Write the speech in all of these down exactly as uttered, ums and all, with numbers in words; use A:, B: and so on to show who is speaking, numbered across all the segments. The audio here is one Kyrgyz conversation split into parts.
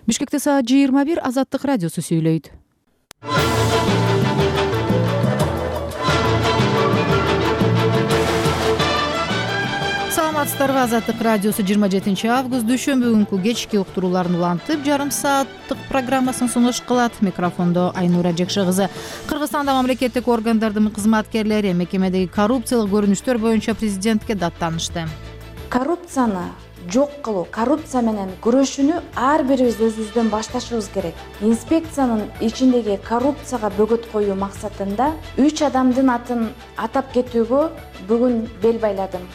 A: Бишкекте саат жыйырма бир. Азаттык радиосу сүйлөйт. Саламатсыздарбы? Азаттык радиосу жыйырма жетинчи август дүйшөмбү күнкү кечки уктурууларын улантып, жарым сааттык программасын сунуш кылат. Микрофондо Айнура Жекше кызы. Кыргызстанда мамлекеттик органдардын кызматкерлери мекемедеги коррупциялык көрүнүштөр боюнча президентке даттанышты.
B: Коррупцияны жок кылуу, коррупция менен күрөшүүнү ар бирибиз өзүбүздөн башташыбыз керек. Инспекциянын ичиндеги коррупцияга бөгөт коюу максатында үч адамдын атын атап кетүүгө бүгүн бел байладым.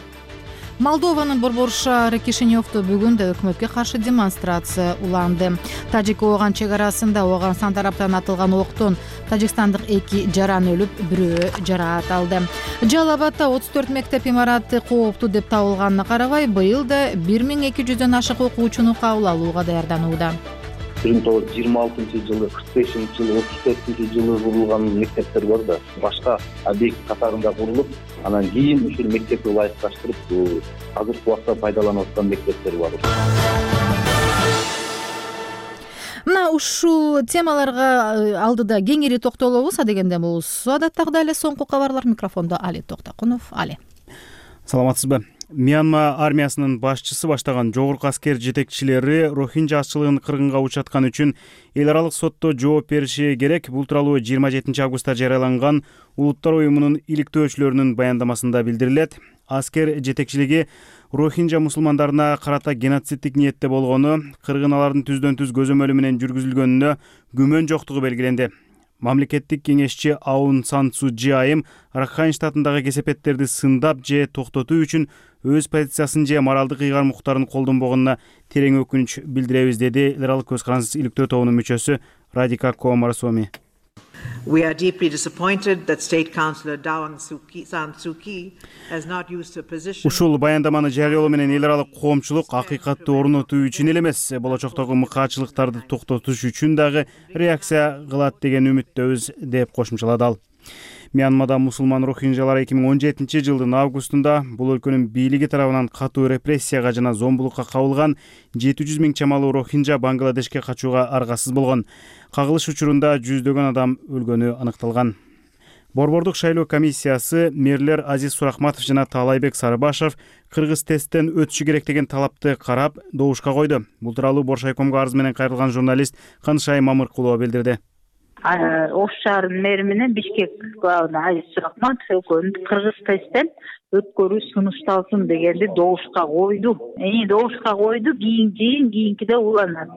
A: Молдованын Борбор шаары Кишиневдо бүгүн да өкмөткө каршы демонстрация уланды. Тажик-Ооган чек арасында Ооганстан тараптан атылган октон тажикстандык эки жаран өлүп, бирөө жараат алды. Жалал Абадда отуз төрт мектеп имараты кооптуу деп табылганына карабай, быйыл да бир миң эки жүздөн ашык окуучуну кабыл алууга даярданууда.
C: бир миң тогуз жүз жыйырма алтынчы жылы, кырк бешинчи жылы, отуз төртүнчү жылы курулган мектептер бар да, башка объект катарында курулуп, анан кийин ушул мектепти ылайыкташтырып, азыркы убакта пайдаланып аткан мектептер бар.
A: Мына ушул темаларга алдыда кеңири токтолобуз, адегенде бул адаттагыдай эле соңку кабарлар. Микрофондо Али Токтакунов. Али.
D: Саламатсызбы? Мьянма армиясынын башчысы баштаган жогорку аскер жетекчилери Рохинжа азчылыгын кыргынга учаткан үчүн эл аралык сотто жооп бериши керек. Бул тууралуу жыйырма жетинчи августта жарыяланган Улуттар уюмунун иликтөөчүлөрүнүн баяндамасында билдирилет. Аскер жетекчилиги Рохинжа мусулмандарына карата геноциддик ниетте болгону, кыргын алардын түздөн түз көзөмөлү менен жүргүзүлгөнүнө күмөн жоктугу белгиленди. Мамлекеттик кеңешчи Аун Сан Су Чжи айым Ракхайн штатындагы кесепеттерди сындап же токтотуу үчүн өз позициясын же моралдык ыйгарым укуктарын колдонбогонуна терең өкүнүч билдиребиз, деди эл аралык көз карансыз иликтөө тобунун мүчөсү Радика Коомарасоми.
E: We are deeply disappointed that State Councillor Daw San Suu Kyi has not used her position.
D: Ушул баяндаманы жарыялоо менен эл аралык коомчулук акыйкатты орнотуу үчүн эле эмес, болочоктогу мыкаачылыктарды токтотуш үчүн дагы реакция кылат деген үмүттөбүз, деп кошумчалады ал. Мьянмада мусулман рохинжалар эки миң он жетинчи жылдын августунда бул өлкөнүн бийлиги тарабынан катуу репрессияга жана зомбулукка кабылган жети жүз миң чамалуу рохинжа Бангладешке качууга аргасыз болгон. Кагылыш учурунда жүздөгөн адам өлгөнү аныкталган. Борбордук шайлоо комиссиясы мэрлер Азиз Сурахматов жана Таалайбек Сарыбашев кыргыз тесттен өтүшү керек деген талапты карап добушка койду. Бул тууралуу Боршайкомго арыз менен кайрылган журналист Канышай Мамыркулова билдирди.
F: Ош шаарынын мэри менен Бишкек главный Азиз Сурахматов экөөнү кыргыз тесттен өткөрүү сунушталсын дегенди добушка койду. Эми добушка койду, кийин жыйын кийинкиде уланат.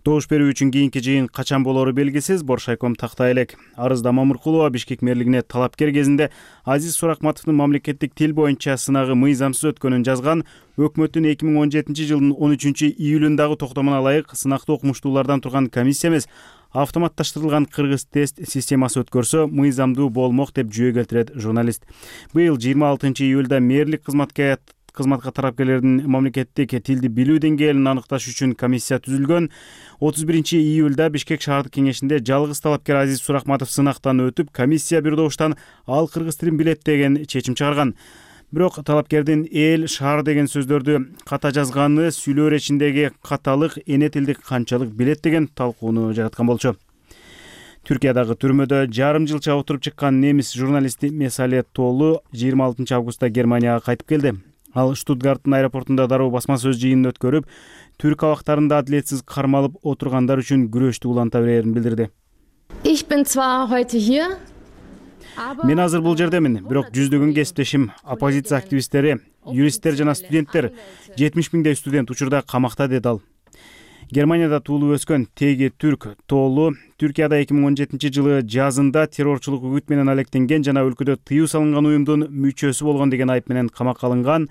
D: Добуш берүү үчүн кийинки жыйын качан болору белгисиз. Боршайком тактай элек. Арызда Мамыркулова Бишкек мэрлигине талапкер кезинде Азиз Сурахматовдун мамлекеттик тил боюнча сынагы мыйзамсыз өткөнүн жазган. Өкмөттүн эки миң он жетинчи жылдын он үчүнчү июлундагы токтомуна ылайык сынакты окумуштуулардан турган комиссия эмес, автоматташтырылган кыргыз тест системасы өткөрсө мыйзамдуу болмок, деп жүйө келтирет журналист. Быйыл жыйырма алтынчы июлда мэрлик кызматка кызматка тарапкерлердин мамлекеттик тилди билүү деңгээлин аныкташ үчүн комиссия түзүлгөн. отуз биринчи июлда Бишкек шаардык кеңешинде жалгыз талапкер Азиз Сурахматов сынактан өтүп, комиссия бир добуштан ал кыргыз тилин билет деген чечим чыгарган. Бирок талапкердин эл, шаар деген сөздөрдү ката жазганы сүйлөө иречиндеги каталык, эне тилди канчалык билет деген талкууну жараткан болчу. Түркиядагы түрмөдө жарым жылча отуруп чыккан немис журналисти Месале Толу жыйырма алтынчы августта Германияга кайтып келди. Ал Штутгарттын аэропортунда дароо басма сөз жыйынын өткөрүп, түрк абактарында адилетсиз кармалып отургандар үчүн күрөштү уланта берерин билдирди.
G: Ich bin zwar heute hier,
D: Мен азыр бул жердемин, бирок жүздөгөн кесиптешим, оппозиция активисттери, юристтер жана студенттер, жетимиш миңдей студент учурда камакта, деди ал. Германияда туулуп өскөн теги түрк Толу Түркияда эки миң он жетинчи жылы жазында террорчулук үгүт менен алектенген жана өлкөдө тыюу салынган уюмдун мүчөсү болгон деген айып менен камакка алынган.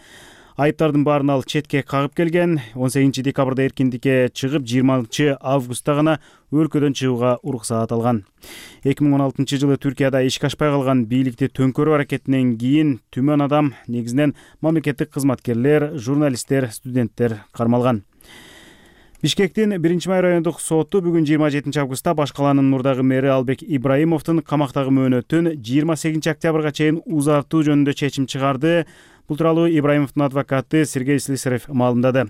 D: Айыптардын баарын ал четке кагып келген. он сегизинчи декабрда эркиндикке чыгып, жыйырманчы августта гана өлкөдөн чыгууга уруксаат алган. эки миң он алтынчы жылы Түркияда ишке ашпай калган бийликти төңкөрүү аракетинен кийин түмөн адам, негизинен мамлекеттик кызматкерлер, журналисттер, студенттер кармалган. Бишкектин биринчи май райондук соту бүгүн жыйырма жетинчи августта баш калаанын мурдагы мэри Албек Ибраимовдун камактагы мөөнөтүн жыйырма сегизинчи октябрга чейин узартуу жөнүндө чечим чыгарды. Бул тууралуу Ибраимовдун адвокаты Сергей Слесарев маалымдады.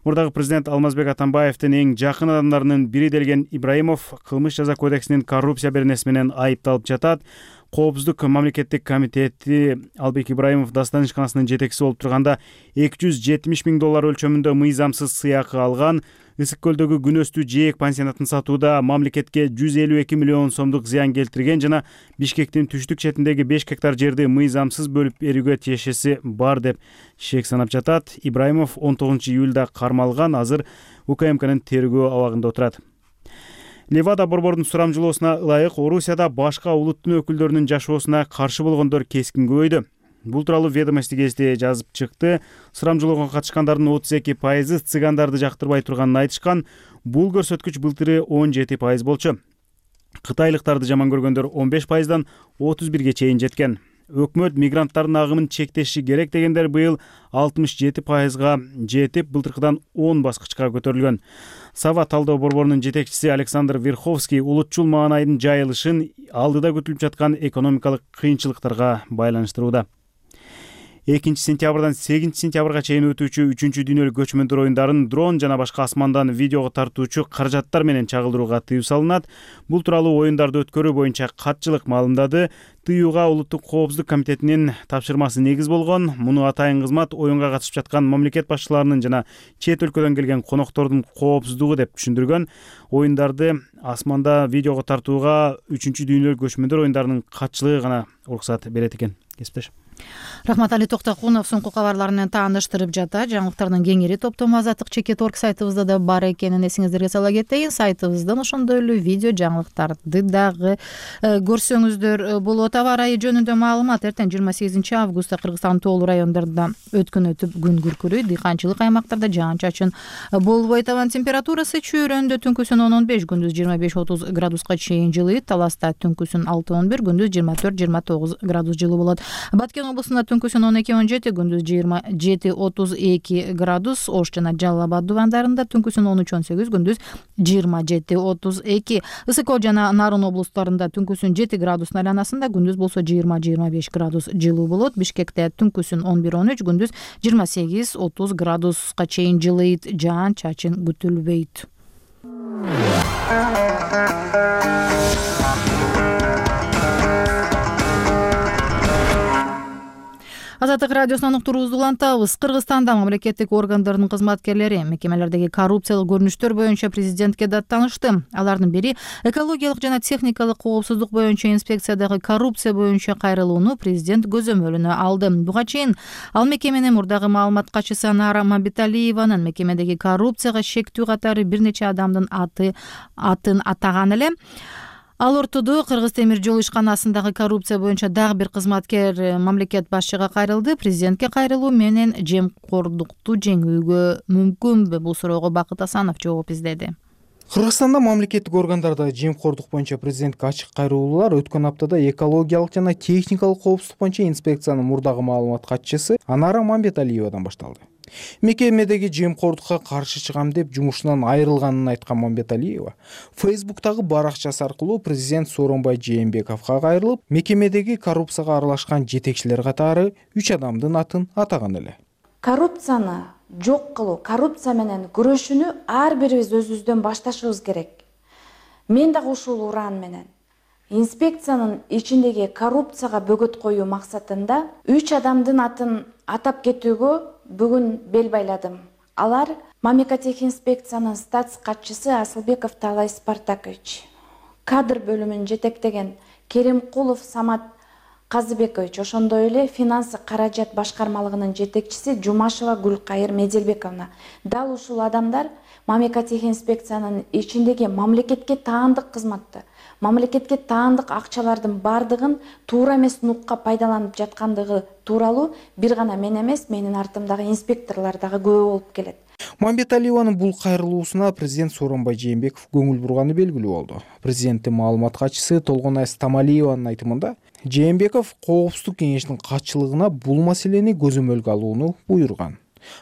D: Мурдагы президент Алмазбек Атамбаевдин эң жакын адамдарынын бири делген Ибраимов кылмыш жаза кодексинин коррупция беренеси менен айыпталып жатат. Коопсуздук мамлекеттик комитети Албек Ибраимов Дастан ишканасынын жетекчиси болуп турганда эки жүз жетимиш миң доллар өлчөмүндө мыйзамсыз сыйакы алган. Ысык көлдөгү күнөстүү жээк пансионатын сатууда мамлекетке жүз элүү эки миллион сомдук зыян келтирген жана Бишкектин түштүк четиндеги беш гектар жерди мыйзамсыз бөлүп берүүгө тиешеси бар деп шек санап жатат. Ибраимов он тогузунчу июлда кармалган, азыр УКМКнын тергөө абагында отурат. Левада борбордун сурамжылоосуна ылайык Орусияда башка улуттун өкүлдөрүнүн жашоосуна каршы болгондор кескин көбөйдү. Бул тууралуу Ведомости гезити жазып чыкты. Сурамжылоого катышкандардын отуз эки пайызы цыгандарды жактырбай турганын айтышкан. Бул көрсөткүч былтыры он жети пайыз болчу. Кытайлыктарды жаман көргөндөр он беш пайыздан отуз бирге чейин жеткен. Өкмөт мигранттардын агымын чектеши керек дегендер быйыл алтымыш жети пайызга жетип, былтыркыдан он баскычка көтөрүлгөн. Сава талдоо борборунун жетекчиси Александр Верховский улутчул маанайдын жайылышын алдыда күтүлүп жаткан экономикалык кыйынчылыктарга байланыштырууда. экинчи сентябрдан сегизинчи сентябрга чейин өтүүчү үчүнчү дүйнөлүк көчмөндөр оюндарын дрон жана башка асмандан видеого тартуучу каражаттар менен чагылдырууга тыюу салынат. Бул тууралуу оюндарды өткөрүү боюнча катчылык маалымдады. Тыюуга Улуттук коопсуздук комитетинин тапшырмасы негиз болгон. Муну атайын кызмат оюнга катышып жаткан мамлекет башчыларынын жана чет өлкөдөн келген коноктордун коопсуздугу деп түшүндүргөн. Оюндарды асманда видеого тартууга үчүнчү дүйнөлүк көчмөндөр оюндарынын катчылыгы гана уруксат берет экен. Кесиптеш.
A: Рахматали Токтокунов соңку кабарлар менен тааныштырып жатат. Жаңылыктардын кеңири топтому азаттык чекит орг сайтыбызда да бар экенин эсиңиздерге сала кетейин. Сайтыбыздан ошондой эле видео жаңылыктарды дагы көрсөңүздөр болот. Аба ырайы жөнүндө маалымат. Эртең жыйырма сегизинчи августта Кыргызстандын тоолуу райондорунда өткөн өтүп күн күркүрөйт. Дыйканчылык аймактарда жаан-чачын болбойт. Абанын температурасы чүйрөндө түнкүсүн он он беш, күндүз жыйырма беш отуз градуска чейин жылыйт. Таласта түнкүсүн алты он бир, күндүз жыйырма төрт жыйырма тогуз градус жылуу болот. Баткен облусунда түнкүсүн он эки он жети, күндүз жыйырма жети отуз эки градус. Ош жана Жалал Абад дубандарында түнкүсүн он үч он сегиз, күндүз жыйырма жети отуз эки. Ысык Көл жана Нарын облустарында түнкүсүн жети градустун айланасында, күндүз болсо жыйырма жыйырма беш градус жылуу болот. Бишкекте түнкүсүн он бир он үч, күндүз жыйырма сегиз отуз градуска чейин жылыйт. Жаан-чачын күтүлбөйт. Азаттык радиосунан уктуруубузду улантабыз. Кыргызстанда мамлекеттик органдардын кызматкерлери мекемелердеги коррупциялык көрүнүштөр боюнча президентке даттанышты. Алардын бири экологиялык жана техникалык коопсуздук боюнча инспекциядагы коррупция боюнча кайрылууну президент көзөмөлүнө алды. Буга чейин ал мекеменин мурдагы маалымат катчысы Анара Мамбеталиеванын мекемедеги коррупцияга шектүү катары бир нече адамдын аты атын атаган эле. Ал ортодо Кыргыз темир жол ишканасындагы коррупция боюнча дагы бир кызматкер мамлекет башчыга кайрылды. Президентке кайрылуу менен жемкордукту жеңүүгө мүмкүнбү? Бул суроого Бакыт Асанов жооп издеди.
H: Кыргызстанда мамлекеттик органдарда жемкордук боюнча президентке ачык кайрылуулар өткөн аптада экологиялык жана техникалык коопсуздук боюнча инспекциянын мурдагы маалымат катчысы Анара Мамбеталиевадан башталды. Мекемедеги жемкордукка каршы чыгам деп жумушунан айрылганын айткан Мамбеталиева Фейсбуктагы баракчасы аркылуу президент Сооронбай Жээнбековго кайрылып, мекемедеги коррупцияга аралашкан жетекчилер катары үч адамдын атын атаган эле.
B: Коррупцияны жок кылуу, коррупция менен күрөшүүнү ар бирибиз өзүбүздөн башташыбыз керек. Мен дагы ушул уран менен инспекциянын ичиндеги коррупцияга бөгөт коюу максатында үч адамдын атын атап кетүүгө бүгүн бел байладым. Алар Мамлекеттик инспекциянын статс катчысы Асылбеков Талай Спартакович, кадр бөлүмүн жетектеген Керимкулов Самат Казыбекович, ошондой эле финансы каражат башкармалыгынын жетекчиси Жумашева Гүлкайыр Меделбековна. Дал ушул адамдар Мамлекеттик инспекциянын ичиндеги мамлекетке таандык кызматты, мамлекетке таандык акчалардын бардыгын туура эмес нукка пайдаланып жаткандыгы тууралуу бир гана мен эмес, менин артымдагы инспекторлор дагы күбө болуп келет.
H: Мамбеталиеванын бул кайрылуусуна президент Сооронбай Жээнбеков көңүл бурганы белгилүү болду. Президенттин маалымат катчысы Толгонай Стамалиеванын айтымында Жээнбеков коопсуздук кеңешинин катчылыгына бул маселени көзөмөлгө алууну буйруган.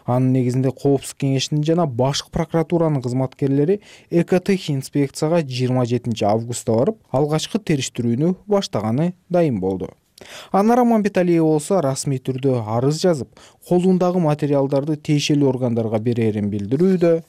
H: Анын негизинде коопсуздук кеңешинин жана башкы прокуратуранын кызматкерлери Экотех инспекцияга жыйырма жетинчи августта барып, алгачкы териштирүүнү баштаганы дайым болду. Анара Мамбеталиева болсо расмий түрдө арыз жазып, колундагы материалдарды тиешелүү органдарга берерин билдирүүдө.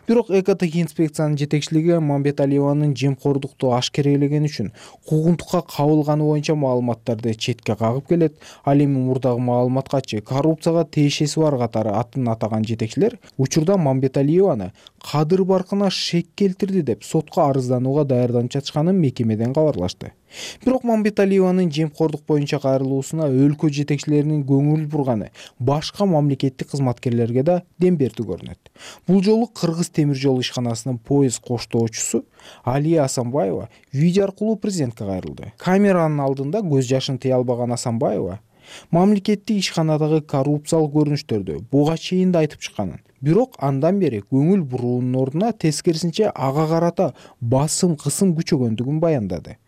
H: Бирок экотех инспекциянын жетекчилиги Мамбеталиеванын жемкордукту ашкерелеген үчүн куугунтукка кабылганы боюнча маалыматтарды четке кагып келет. Ал эми мурдагы маалымат катчы коррупцияга тиешеси бар катары атын атаган жетекчилер учурда Мамбеталиеваны кадыр баркына шек келтирди деп сотко арызданууга даярданып жатышканын мекемеден кабарлашты. Бирок Мамбеталиеванын жемкордук боюнча кайрылуусуна өлкө жетекчилеринин көңүл бурганы башка мамлекеттик кызматкерлерге да дем берди көрүнөт. Бул жолу Кыргыз темир жол ишканасынын поезд коштоочусу Алия Асанбаева видео аркылуу президентке кайрылды. Камеранын алдында көз жашын тыя албаган Асанбаева мамлекеттик ишканадагы коррупциялык көрүнүштөрдү буга чейин да айтып чыкканын, бирок андан бери көңүл буруунун ордуна тескерисинче ага карата басым кысым күчөгөндүгүн баяндады.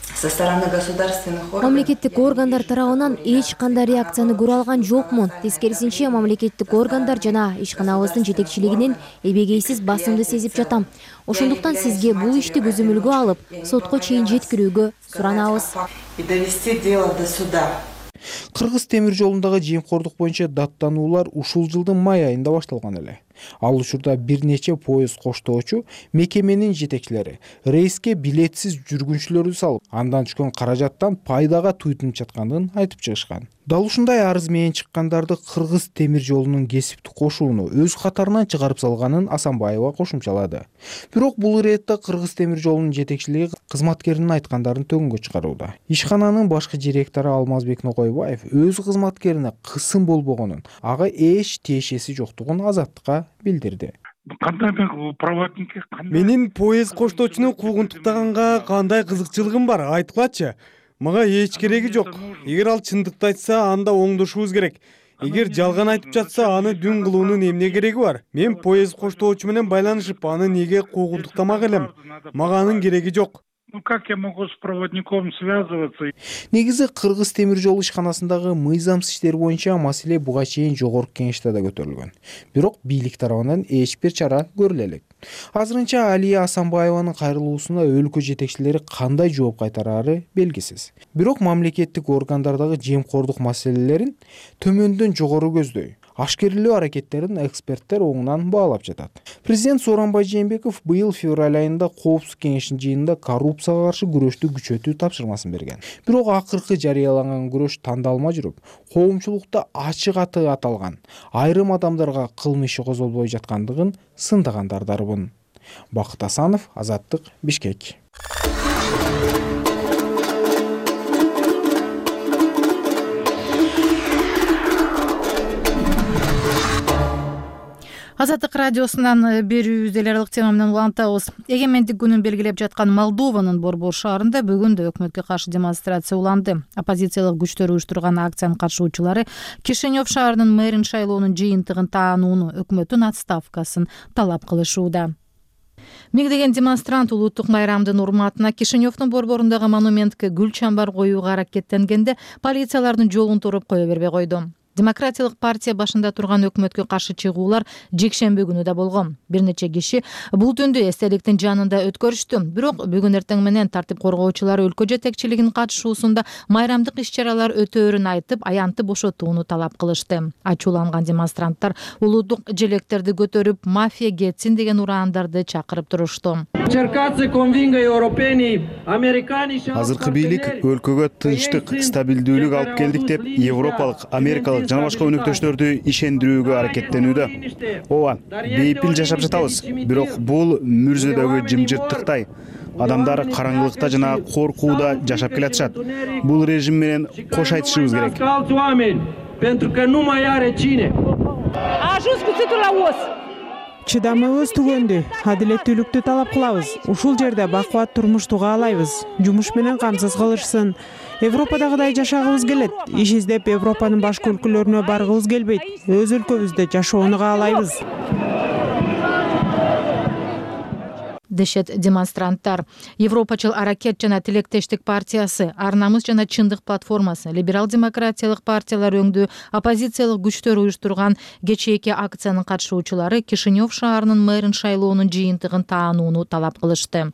I: Со стороны государственных органов
G: Мамлекеттик органдар тарабынан эч кандай реакцияны көрө алган жокмун. Тескерисинче мамлекеттик органдар жана ишканабыздын жетекчилигинин эбегейсиз басымды сезип жатам. Ошондуктан сизге бул ишти көзөмөлгө алып, сотко чейин жеткирүүгө суранабыз.
I: И довести дело до суда.
H: Кыргыз темир жолундагы жемкордук боюнча даттануулар ушул жылдын май айында башталган эле. Ал учурда бир нече поезд коштоочу мекеменин жетекчилери рейске билетсиз жүргүнчүлөрдү салып, андан түшкөн каражаттан пайдага туйтунуп жатканын айтып чыгышкан. Дал ушундай арыз менен чыккандарды Кыргыз темир жолунун кесиптик кошууну өз катарынан чыгарып салганын Асанбаева кошумчалады. Бирок бул иретте Кыргыз темир жолунун жетекчилиги кызматкеринин айткандарын төгүнгө чыгарууда. Ишкананын башкы директору Алмазбек Нокойбаев өз кызматкерине кысым болбогонун, ага эч тиешеси жоктугун Азаттыкка билдирди.
J: Кандай проводникке
K: менин поезд коштоочуну куугунтуктаганга кандай кызыкчылыгым бар, айткылачы. Мага эч кереги жок. Эгер ал чындыкты айтса, анда оңдошубуз керек. Эгер жалган айтып жатса, аны дүн кылуунун эмне кереги бар? Мен поезд коштоочу менен байланышып, аны неге куугунтуктамак элем? Мага анын кереги жок.
J: Ну как я могу с проводником связываться?
H: Негизи Кыргыз темир жол ишканасындагы мыйзамсыз иштер боюнча маселе буга чейин жогорку кеңеште да көтөрүлгөн. Бирок бийлик тарабынан эч бир чара көрүлө элек. Азырынча Алия Асанбаеванын кайрылуусуна өлкө жетекчилери кандай жооп кайтарары белгисиз. Бирок мамлекеттик органдардагы жемкордук маселелерин төмөндөн жогору көздөй ашкерелөө аракеттерин эксперттер оңунан баалап жатат. Президент Сооронбай Жээнбеков быйыл февраль айында Коопсуздук кеңешинин жыйынында коррупцияга каршы күрөштү күчөтүү тапшырмасын берген. Бирок акыркы жарыяланган күрөш тандалма жүрүп, коомчулукта ачык аты аталган айрым адамдарга кылмыш иши козголбой жаткандыгын сындагандар дарбын. Бакыт Асанов, Азаттык, Бишкек.
A: Азаттык радиосунан берүүбүз эл аралык тема менен улантабыз. Эгемендик күнүн белгилеп жаткан Молдованын Борбор шаарында бүгүн да өкмөткө каршы демонстрация уланды. Оппозициялык күчтөр уюштурган акциянын катышуучулары Кишинев шаарынын мэрин шайлоонун жыйынтыгын таанууну, өкмөттүн отставкасын талап кылышууда. Миңдеген демонстрант улуттук майрамдын урматына Кишиневдин борборундагы монументке гүл чамбар коюуга аракеттенгенде полициялардын жолун туруп кое бербей койду. Демократиялык партия башында турган өкмөткө каршы чыгуулар жекшемби күнү да болгон. Бир нече киши бул түндү эстеликтин жанында өткөрүштү. Бирок бүгүн эртең менен тартип коргоочулар өлкө жетекчилигинин катышуусунда майрамдык иш-чаралар өтөөрүн айтып, аянтты бошотууну талап кылышты. Ачууланган демонстранттар улуудук желектерди көтөрүп, мафия кетсин деген ураандарды чакырып турушту.
D: Азыркы бийлик өлкөгө тынчтык, стабилдүүлүк алып келдик деп европалык, америкалык жана башка өнөктөштөрдү ишендирүүгө аракеттенүүдө. Ооба, бейпил жашап жатабыз, бирок бул мүрзөдөгү жымжырттыктай. Адамдар караңгылыкта жана коркууда жашап келатышат. Бул режим менен кош айтышыбыз керек.
L: Чыдамыбыз түгөндү, адилеттүүлүктү талап кылабыз. Ушул жерде бакубат турмушту каалайбыз. Жумуш менен камсыз кылышсын. Европадагыдай жашагыбыз келет. Иш издеп Европанын башка өлкөлөрүнө баргыбыз келбейт. Өз өлкөбүздө жашоону каалайбыз.
A: дешет демонстранттар. Европачыл аракет жана тилектештик партиясы, Ар намыс жана чындык платформасы, либерал демократиялык партиялар өңдүү оппозициялык күчтөр уюштурган кечээки акциянын катышуучулары Кишинев шаарынын мэрин шайлоонун жыйынтыгын таанууну талап кылышты.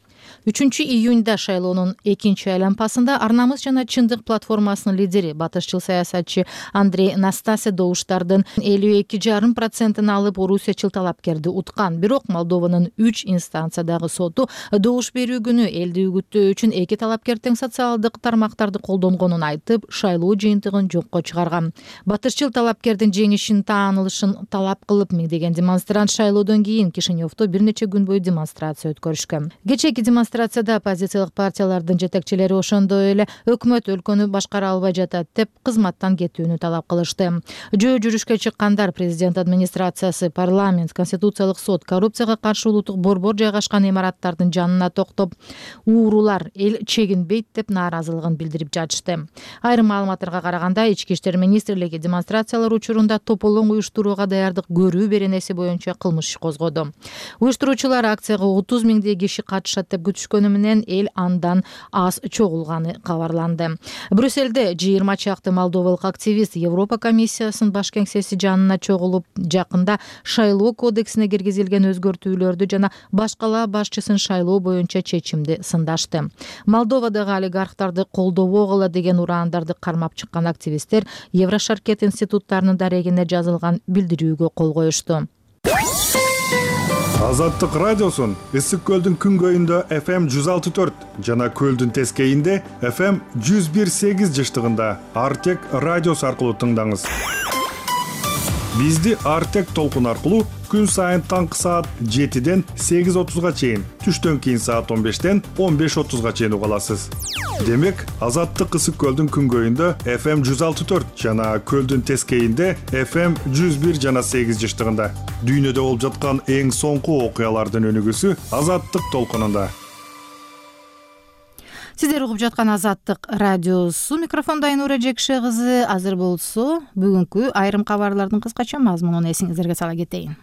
A: үчүнчү июнда шайлоонун экинчи айлампасында Ар намыс жана чындык платформасынын лидери, батышчыл саясатчы Андрей Настасья добуштардын элүү эки жарым процентин алып, орусиячыл талапкерди уткан. Бирок Молдованын үч инстанциядагы соту добуш берүү күнү элди үгүттөө үчүн эки талапкер тең социалдык тармактарды колдонгонун айтып, шайлоо жыйынтыгын жокко чыгарган. Батышчыл талапкердин жеңишин таанылышын талап кылып, миңдеген демонстрант шайлоодон кийин Кишиневдо бир нече күн бою демонстрация өткөрүшкөн. Кечээки демонстрацияда оппозициялык партиялардын жетекчилери ошондой эле өкмөт өлкөнү башкара албай жатат деп кызматтан кетүүнү талап кылышты. Жөө жүрүшкө чыккандар президент администрациясы, парламент, конституциялык сот, коррупцияга каршы улуттук борбор жайгашкан имараттардын жанына токтоп, уурулар эл чегинбейт деп нааразылыгын билдирип жатышты. Айрым маалыматтарга караганда, Ички иштер министрлиги демонстрациялар учурунда тополоң уюштурууга даярдык көрүү беренеси боюнча кылмыш иш козгоду. Уюштуруучулар акцияга отуз миңдей киши катышат деп күтүшкөнү менен эл андан аз чогулганы кабарланды. Брюссельде жыйырма чакты молдовалык активист Европа комиссиясынын баш кеңсеси жанына чогулуп, жакында шайлоо кодексине киргизилген өзгөртүүлөрдү жана башкала башчысын шайлоо боюнча чечимди сындашты. Молдовадагы олигархтарды колдобогула деген ураандарды кармап чыккан активисттер Еврошаркет институттарынын дарегине жазылган билдирүүгө кол коюшту.
M: Азаттык радиосун Ысык көлдүн күнгөйүндө эф эм жүз алты төрт жана көлдүн тескейинде эф эм жүз бир сегиз жыштыгында Артек радиосу аркылуу тыңдаңыз. Бизди Артек толкун аркылуу күн сайын таңкы саат жетиден сегиз отузга чейин, түштөн кийин саат он бештен он беш отузга чейин уга аласыз. Демек, Азаттык Ысык көлдүн күнгөйүндө эф эм жүз алты төрт жана көлдүн тескейинде эф эм жүз бир жана сегиз жыштыгында. Дүйнөдө болуп жаткан эң соңку окуялардын өнүгүүсү Азаттык толкунунда.
A: Сиздер угуп жаткан Азаттык радиосу, микрофондо Айнура Жекше кызы. Азыр болсо, бүгүнкү айрым кабарлардын кыскача мазмунун эсиңиздерге сала кетейин.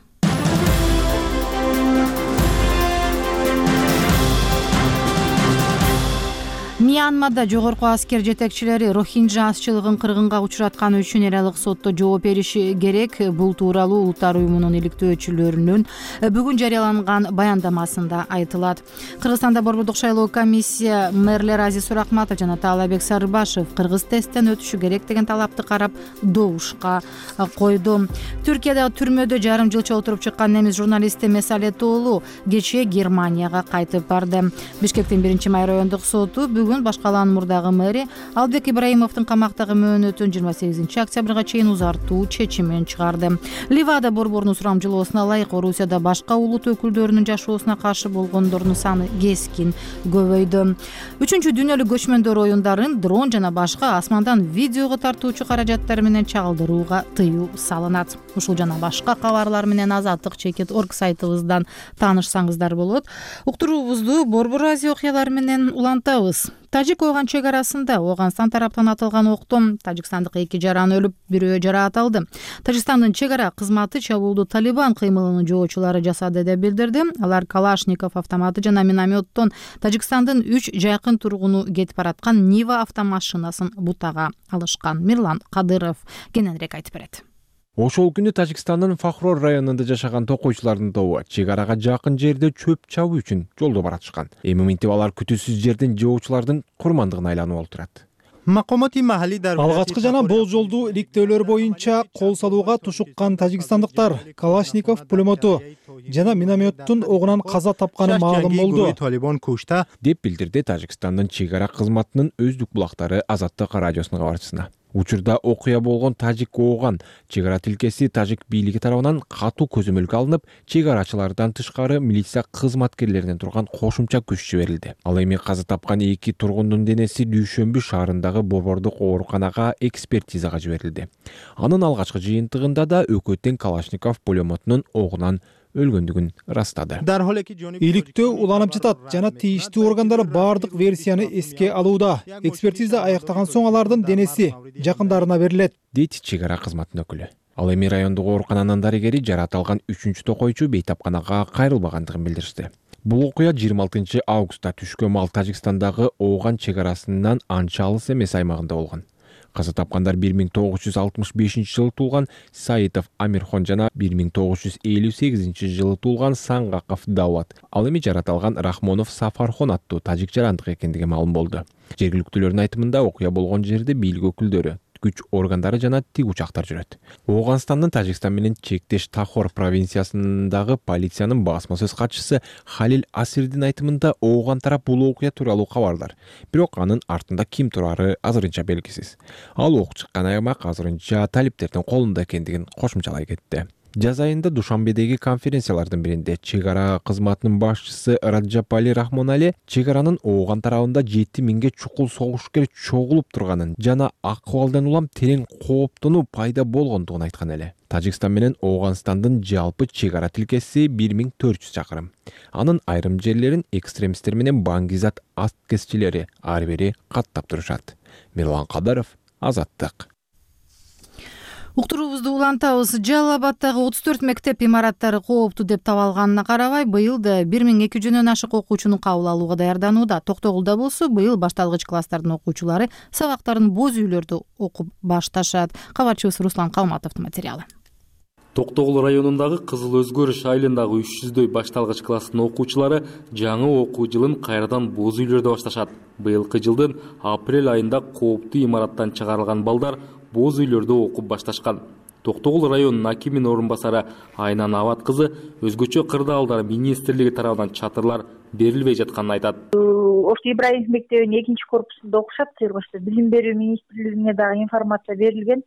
A: Мьянмада жогорку аскер жетекчилери Рохинджа азчылыгын кыргынга учуратканы үчүн эл алык сотто жооп бериши керек. Бул тууралуу Улуттар уюмунун иликтөөчүлөрүнүн бүгүн жарыяланган баяндамасында айтылат. Кыргызстанда борбордук шайлоо комиссия мэрлер Азиз Суракматов жана Таалайбек Сарыбашев кыргыз тесттен өтүшү керек деген талапты карап добушка койду. Түркиядагы түрмөдө жарым жылча отуруп чыккан немис журналисти Месалет уулу кечээ Германияга кайтып барды. Бишкектин биринчи май райондук соту бүгүн башкаланын мурдагы мэри Албек Ибраимовдун камактагы мөөнөтүн жыйырма сегизинчи октябрга чейин узартуу чечимин чыгарды. Ливада борборунун сурамжылоосуна ылайык Орусияда башка улут өкүлдөрүнүн жашоосуна каршы болгондордун саны кескин көбөйдү. Үчүнчү дүйнөлүк көчмөндөр оюндарын дрон жана башка асмандан видеого тартуучу каражаттар менен чагылдырууга тыюу салынат. Ушул жана башка кабарлар менен азаттык чекит точка орг сайтыбыздан таанышсаңыздар болот. Уктуруубузду Борбор Азия окуялары менен улантабыз. Тажик Ооган чек арасында Ооганстан тараптан атылган октон тажикстандык эки жаран өлүп, бирөө жараат Тажикстандын чек ара кызматы чабуулду Талибан кыймылынын жоочулары жасады деп билдирди. Алар Калашников автоматы жана минометтон Тажикстандын үч жакын тургуну кетип бараткан Нива автомашинасын бутага алышкан. Мирлан Кадыров кененирээк айтып берет.
N: Ошол күнү Тажикстандын Фахрор районунда жашаган токойчулардын тобу чек арага жакын жерде чөп чабуу үчүн жолдо баратышкан. Эми минтип алар күтүүсүз жерден жоочулардын курмандыгына айланып олтурат.
O: Алгачкы жана болжолдуу иликтөөлөр боюнча кол салууга тушуккан тажикстандыктар Калашников пулемоту жана минометтун огунан каза тапканы маалым болду
N: деп билдирди Тажикстандын чек ара кызматынын өздүк булактары Азаттык радиосунун кабарчысына. Учурда окуя болгон Тажик Ооган чек ара тилкеси тажик бийлиги тарабынан катуу көзөмөлгө алынып, чек арачылардан тышкары милиция кызматкерлеринен турган кошумча күч жиберилди. Ал эми каза тапкан эки тургундун денеси Дүйшөмбү шаарындагы борбордук ооруканага экспертизага жиберилди. Анын алгачкы жыйынтыгында да өкөттен Калашников пулемотунун огунан өлгөндүгүн ырастады.
O: Иликтөө уланып жатат жана тийиштүү органдар баардык версияны эске алууда. Экспертиза аяктаган соң алардын денеси жакындарына берилет,
N: дейт чек ара кызматынын өкүлү. Ал эми райондук оорукананын дарыгери жараат алган үчүнчү токойчу бейтапканага кайрылбагандыгын билдиришти. Бул окуя жыйырма алтынчы августта түшкөн мал Тажикстандагы Ооган чек арасынан анча алыс эмес аймагында болгон. Каза тапкандар бир миң тогуз жүз алтымыш бешинчи жылы туулган Саитов Амирхон жана бир миң тогуз жүз элүү сегизинчи жылы туулган Саңгаков Давлат. Ал эми жараталган Рахмонов Сафархон аттуу тажик жарандык экендиги маалым болду. Жергиликтүүлөрдүн айтымында окуя болгон жерде бийлик өкүлдөрү, күч органдары жана тик учактар жүрөт. Ооганстандын Тажикстан менен чектеш Тахор провинциясындагы полициянын басма сөз катчысы Халил Асирдин айтымында Ооган тарап бул окуя тууралуу кабардар. Бирок анын артында ким турары азырынча белгисиз. Ал ок чыккан аймак азырынча талиптердин колунда экендигин кошумчалай кетти. Жаз айында Душанбедеги конференциялардын биринде чек ара кызматынын башчысы Раджапали Рахмонали чек аранын Ооган тарабында жети миңге чукул согушкер чогулуп турганын жана акыбалдан улам терең кооптонуу пайда болгондугун айткан эле. Тажикстан менен Ооганстандын жалпы чек ара тилкеси бир миң төрт жүз чакырым. Анын айрым жерлерин экстремисттер менен баңгизат аткезчилери ар бири каттап турушат. Мирлан Кадаров, Азаттык.
A: Уктуруубузду улантабыз. Жалал Абаддагы отуз төрт мектеп имараттары кооптуу деп табалганына карабай, быйыл да бир миң эки жүздөн ашык окуучуну кабыл алууга даярданууда. Токтогулда болсо, быйыл башталгыч класстардын окуучулары сабактарын боз үйлөрдө окуп башташат. Кабарчыбыз Руслан Калматовдун материалы.
P: Токтогул районундагы Кызыл Өзгөрүш айылындагы үч жүздөй башталгыч класстын окуучулары жаңы окуу жылын кайрадан боз үйлөрдө башташат. Быйылкы жылдын апрель айында кооптуу имараттан чыгарылган балдар боз үйлөрдө окуп башташкан. Токтогул районунун акиминин орун басары Айнан Абад кызы өзгөчө кырдаалдар министрлиги тарабынан чатырлар берилбей жатканын айтат.
F: Ошто Ибраимов мектебинин экинчи корпусунда окушат. Сыйырбашта билим берүү министрлигине дагы информация берилген.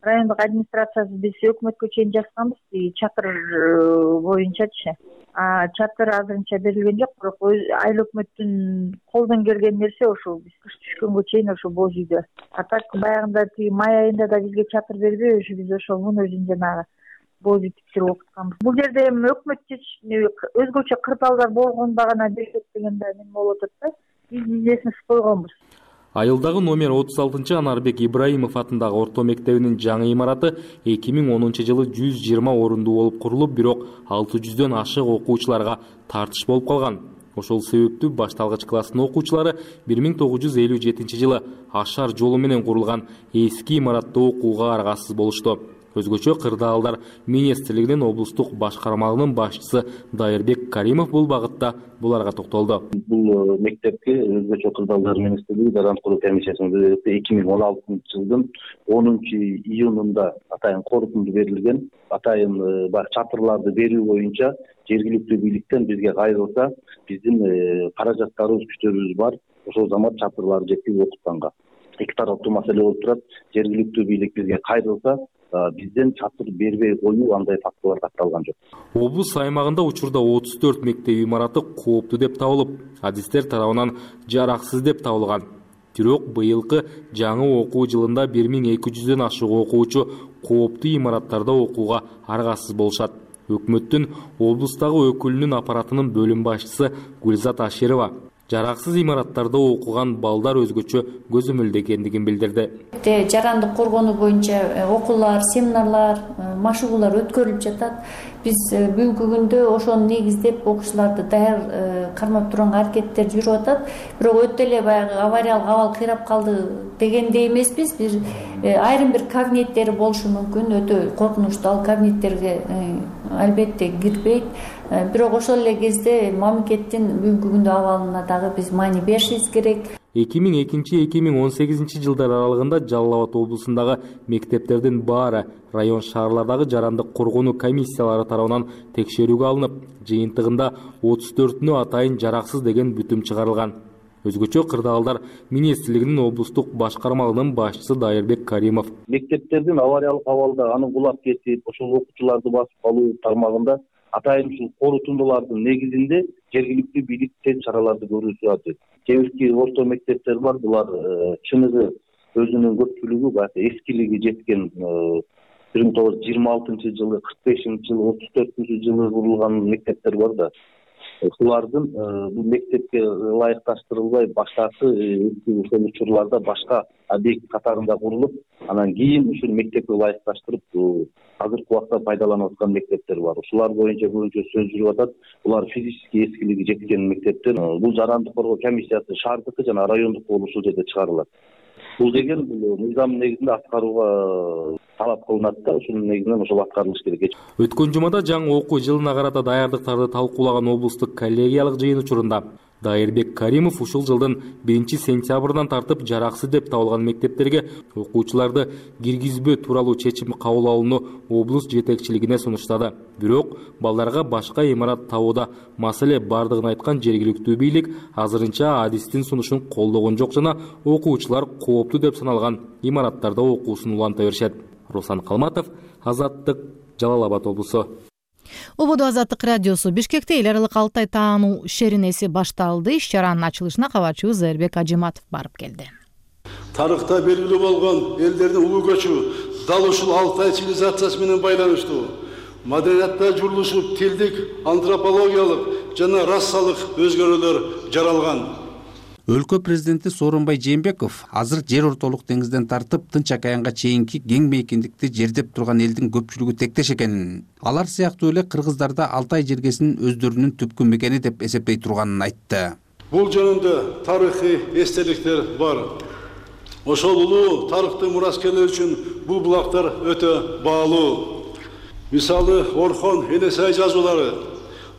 F: Райондук администрациясы биз өкмөткө чейин жазганбыз, чатыр боюнчачы. А чатыр азырынча берилген жок, бирок айыл өкмөттүн колдон келген нерсе ошо биз кыш түшкөнгө чейин ошо боз үйдө. А так баягында тиги май айында да бизге чатыр бербей, ошо биз ошо мун өзүн жанагы боз үй тиктирип окутканбыз. Бул жерде эми өкмөт өзгөчө кырдаалдар болгондо гана берет деген да эме болуп атат да. Биз изесин койгонбуз.
P: Айылдагы номер отуз алтынчы Анарбек Ибраимов атындагы орто мектебинин жаңы имараты эки миң онунчу жылы жүз жыйырма орунду болуп курулуп, бирок алты жүздөн ашык окуучуларга тартыш болуп калган. Ошол себептүү башталгыч класстын окуучулары бир миң тогуз жүз элүү жетинчи жылы Ашар жолу менен курулган эски имаратта окууга аргасыз болушту. Өзгөчө кырдаалдар министрлигинин облустук башкармалыгынын башчысы Дайырбек Каримов бул багытта буларга токтолду.
C: Бул мектепке өзгөчө кырдаалдар министрлиги дарант куруу комиссиясынын эки миң он алтынчы жылдын онунчу июнунда атайын корутунду берилген. Атайын чатырларды берүү боюнча жергиликтүү бийликтен бизге кайрылса, биздин каражаттарыбыз, күчтөрүбүз бар. Ошол замат чатырларды жеткирип окутканга эки тараптуу маселе болуп турат. Жергиликтүү бийлик бизге кайрылса, бизден чатыр бербей коюу андай фактылар катталган жок.
P: Облус аймагында учурда отуз төрт мектеп имараты кооптуу деп табылып, адистер тарабынан жараксыз деп табылган. Бирок быйылкы жаңы окуу жылында бир миң эки жүздөн ашык окуучу кооптуу имараттарда окууга аргасыз болушат. Өкмөттүн облустагы өкүлүнүн аппаратынын бөлүм башчысы Гүлзат Аширова жараксыз имараттарда окуган балдар өзгөчө көзөмөлдөгөндүгүн билдирди.
Q: Жарандык коргонуу боюнча окуулар, семинарлар, машыгуулар өткөрүлүп жатат. Биз бүгүнкү күндө ошону негиздеп окуучуларды даяр кармап турганга аракеттер жүрүп атат. Бирок өтө эле баягы авариялык абал кыйрап калды дегендей эмеспиз. Бир айрым бир кабинеттери болушу мүмкүн, өтө коркунучтуу. Ал кабинеттерге албетте кирбейт. Бирок ошол эле кезде мамлекеттин бүгүнкү күндө абалына дагы биз маани беришибиз керек.
P: эки миң экинчи — эки миң он сегизинчи жылдар аралыгында Жалал Абад облусундагы мектептердин баары район шаарлардагы жарандык коргонуу комиссиялары тарабынан текшерүүгө алынып, жыйынтыгында отуз төртүнө атайын жараксыз деген бүтүм чыгарылган. Өзгөчө кырдаалдар министрлигинин облустук башкармалыгынын башчысы Дайырбек Каримов
C: мектептердин авариялык абалда аны кулап кетип, ошол окуучуларды басып калуу тармагында атайын ушул корутундулардын негизинде жергиликтүү бийлик тез чараларды көрүүсү ажет. Кээ бирки орто мектептер бар, булар чыныгы өзүнүн көпчүлүгү баягы эскилиги жеткен бир миң тогуз жүз жыйырма алтынчы жылы, кырк бешинчи жылы, отуз төртүнчү жылы курулган мектептер бар да. ушулардын бул мектепке ылайыкташтырылбай баштапкы ошол учурларда башка объект катарында курулуп, анан кийин ушул мектепке ылайыкташтырып азыркы убакта пайдаланып аткан мектептер бар. Ушулар боюнча көбүнчө сөз жүрүп атат. Булар физический эскилиги жеткен мектептер. Бул жарандык коргоо комиссиясы шаардыкы жана райондук болуп ушул жерде чыгарылат. Бул деген бул мыйзам негизинде аткарууга талап кылынат да, ушунун негизинен ошол аткарылыш керек.
P: Өткөн жумада жаңы окуу жылына карата даярдыктарды талкуулаган облустук коллегиялык жыйын учурунда Дайырбек Каримов ушул жылдын биринчи сентябрынан тартып жараксыз деп табылган мектептерге окуучуларды киргизбөө тууралуу чечим кабыл алууну облус жетекчилигине сунуштады. Бирок балдарга башка имарат табууда маселе бардыгын айткан жергиликтүү бийлик азырынча адистин сунушун колдогон жок жана окуучулар кооптуу деп саналган имараттарда окуусун уланта беришет. Руслан Калматов, Азаттык, Жалал Абад облусу.
A: Ободо Азаттык радиосу Бишкекте эл аралык Алтай таануу шеринеси башталды. Иш-чаранын ачылышына кабарчыбыз Эрбек Ажиматов барып келди.
R: Тарыхта белгилүү болгон элдердин улуу көчү дал ушул Алтай цивилизациясы менен байланыштуу. Маданиятта журулушуп, тилдик, антропологиялык жана расалык өзгөрүүлөр жаралган.
S: Өлкө президенти Сооронбай Жээнбеков азыр жер ортолук деңизден тартып Тынч океанга чейинки кең мейкиндикти жердеп турган элдин көпчүлүгү тектеш экенин, алар сыяктуу эле кыргыздарда Алтай жергесинин өздөрүнүн түпкү мекени деп эсептей турганын айтты.
R: Бул жөнүндө тарыхый эстеликтер бар. Ошол улуу тарыхты мураскерлер үчүн бул булактар өтө баалуу. Мисалы Орхон Энесай жазуулары,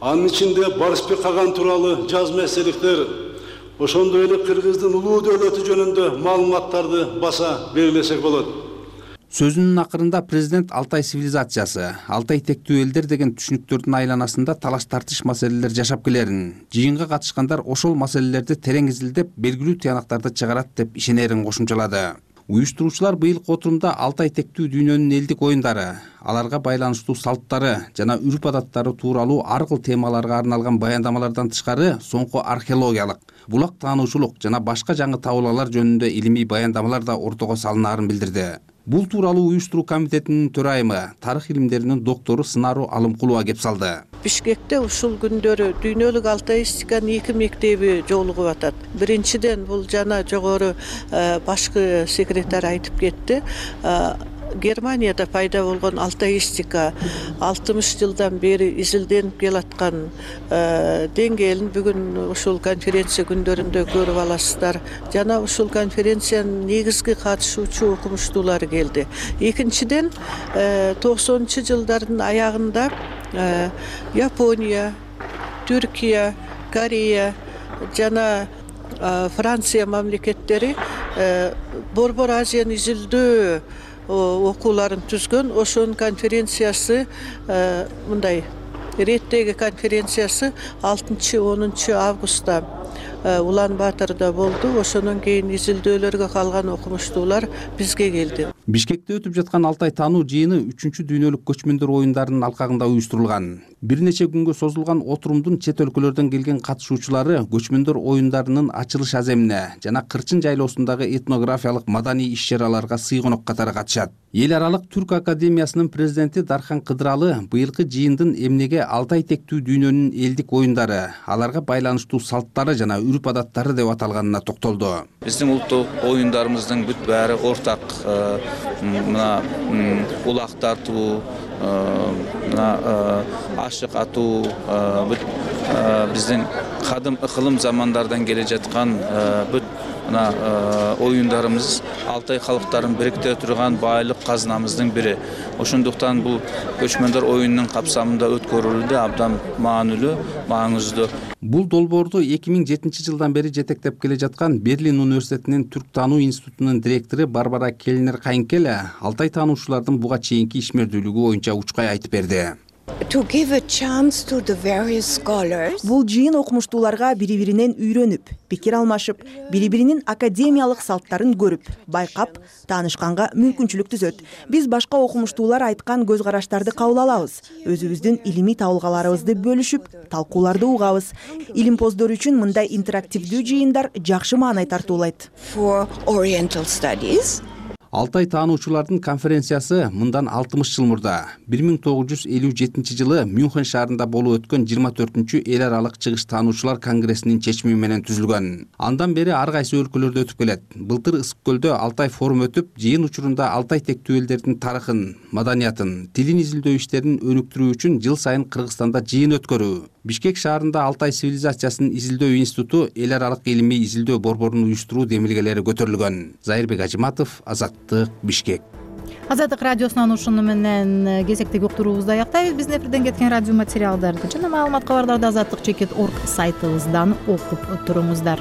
R: анын ичинде Барысбек Каган тууралуу жазма эстеликтер, ошондой эле кыргыздын улуу дөөлөтү жөнүндө маалыматтарды баса белгилесек болот.
S: Сөзүнүн акырында президент Алтай цивилизациясы, Алтай тектүү элдер деген түшүнүктөрдүн айланасында талаш тартыш маселелер жашап келерин, жыйынга катышкандар ошол маселелерди терең изилдеп, белгилүү тыянактарды чыгарат деп ишенерин кошумчалады. Уюштуруучулар быйылкы отурумда Алтай тектүү дүйнөнүн элдик оюндары, аларга байланыштуу салттары жана үрп адаттары тууралуу ар кыл темаларга арналган баяндамалардан тышкары соңку археологиялык, булак таануучулук жана башка жаңы табуулгалар жөнүндө илимий баяндамалар да ортого салынаарын билдирди. Бул тууралуу уюштуруу комитетинин төрайымы, тарых илимдеринин доктору Сынару Алымкулова кеп салды.
T: Бишкекте ушул күндөрү дүйнөлүк алтаистиканын эки мектеби жолугуп атат. Биринчиден бул жана жогору башкы секретарь айтып кетти. Германияда пайда болгон алтаистика алтымыш жылдан бери изилденип келаткан деңгээлин бүгүн ушул конференция күндөрүндө көрүп аласыздар. Жана ушул конференциянын негизги катышуучу окумуштуулары келди. Экинчиден токсонунчу жылдардын аягында Япония, Түркия, Корея жана Франция мамлекеттери Борбор Азияны изилдөө окууларын түзгөн. Ошонун конференциясы мындай реттеги конференциясы алтынчы онунчу августта Улан Батырда болду. Ошондон кийин изилдөөлөргө калган окумуштуулар бизге келди.
S: Бишкекте өтүп жаткан Алтай таануу жыйыны үчүнчү дүйнөлүк көчмөндөр оюндарынын алкагында уюштурулган. Бир нече күнгө созулган отурумдун чет өлкөлөрдөн келген катышуучулары көчмөндөр оюндарынын ачылыш аземине жана Кырчын жайлоосундагы этнографиялык маданий иш-чараларга сыйгонок катары катышат. Эл аралык Түрк академиясынын президенти Дархан Кыдыралы быйылкы жыйындын эмнеге Алтай тектүү дүйнөнүн элдик оюндары, аларга байланыштуу салттары жана үрп адаттары деп аталганына токтолду.
U: Биздин улуттук оюндарыбыздын бүт баары ортак. Мына улак тартуу, мына ашык атуу, бүт биздин кадым ыкылым замандардан келе жаткан бүт мына оюндарыбыз Алтай калктарын бириктире турган байлык казынамыздын бири. Ошондуктан бул көчмөндөр оюнунун капсамында өткөрүлүүдө абдан маанилүү, маңыздуу.
S: Бул долбоорду эки миң жетинчи жылдан бери жетектеп келе жаткан Берлин университетинин Түрк таануу институтунун директору Барбара Келнер Кайынкеле Алтай таануучулардын буга чейинки ишмердүүлүгү боюнча учкай айтып берди.
V: Бул жыйын окумуштууларга бири-биринен үйрөнүп, пикир алмашып, бири-биринин академиялык салттарын көрүп, байкап, таанышканга мүмкүнчүлүк түзөт. Биз башка окумуштуулар айткан көз караштарды кабыл алабыз, өзүбүздүн илимий табылгаларыбызды бөлүшүп, талкууларды угабыз. Илимпоздор үчүн мындай интерактивдүү жыйындар жакшы маанай тартуулайт.
S: Алтай таануучулардын конференциясы мындан алтымыш жыл мурда бир миң тогуз жүз элүү жетинчи жылы Мюнхен шаарында болуп өткөн жыйырма төртүнчү эл аралык чыгыш таануучулар конгрессинин чечими менен түзүлгөн. Андан бери ар кайсы өлкөлөрдө өтүп келет. Былтыр Ысык көлдө Алтай форум өтүп, жыйын учурунда Алтай тектүү элдердин тарыхын, маданиятын, тилин изилдөө иштерин өнүктүрүү үчүн жыл сайын Кыргызстанда жыйын өткөрүү. Бишкек шаарында Алтай цивилизациясын изилдөө институту эл аралык илимий изилдөө борборун уюштуруу демилгелери көтөрүлгөн. Зайырбек Ажыматов, Азаттык, Бишкек.
A: Азаттык радиосунан ушуну менен кезектеги уктуруубузду аяктайбыз. Биздин эфирден кеткен радио материалдарды жана маалымат кабарларды азаттык чекит орг сайтыбыздан окуп туруңуздар.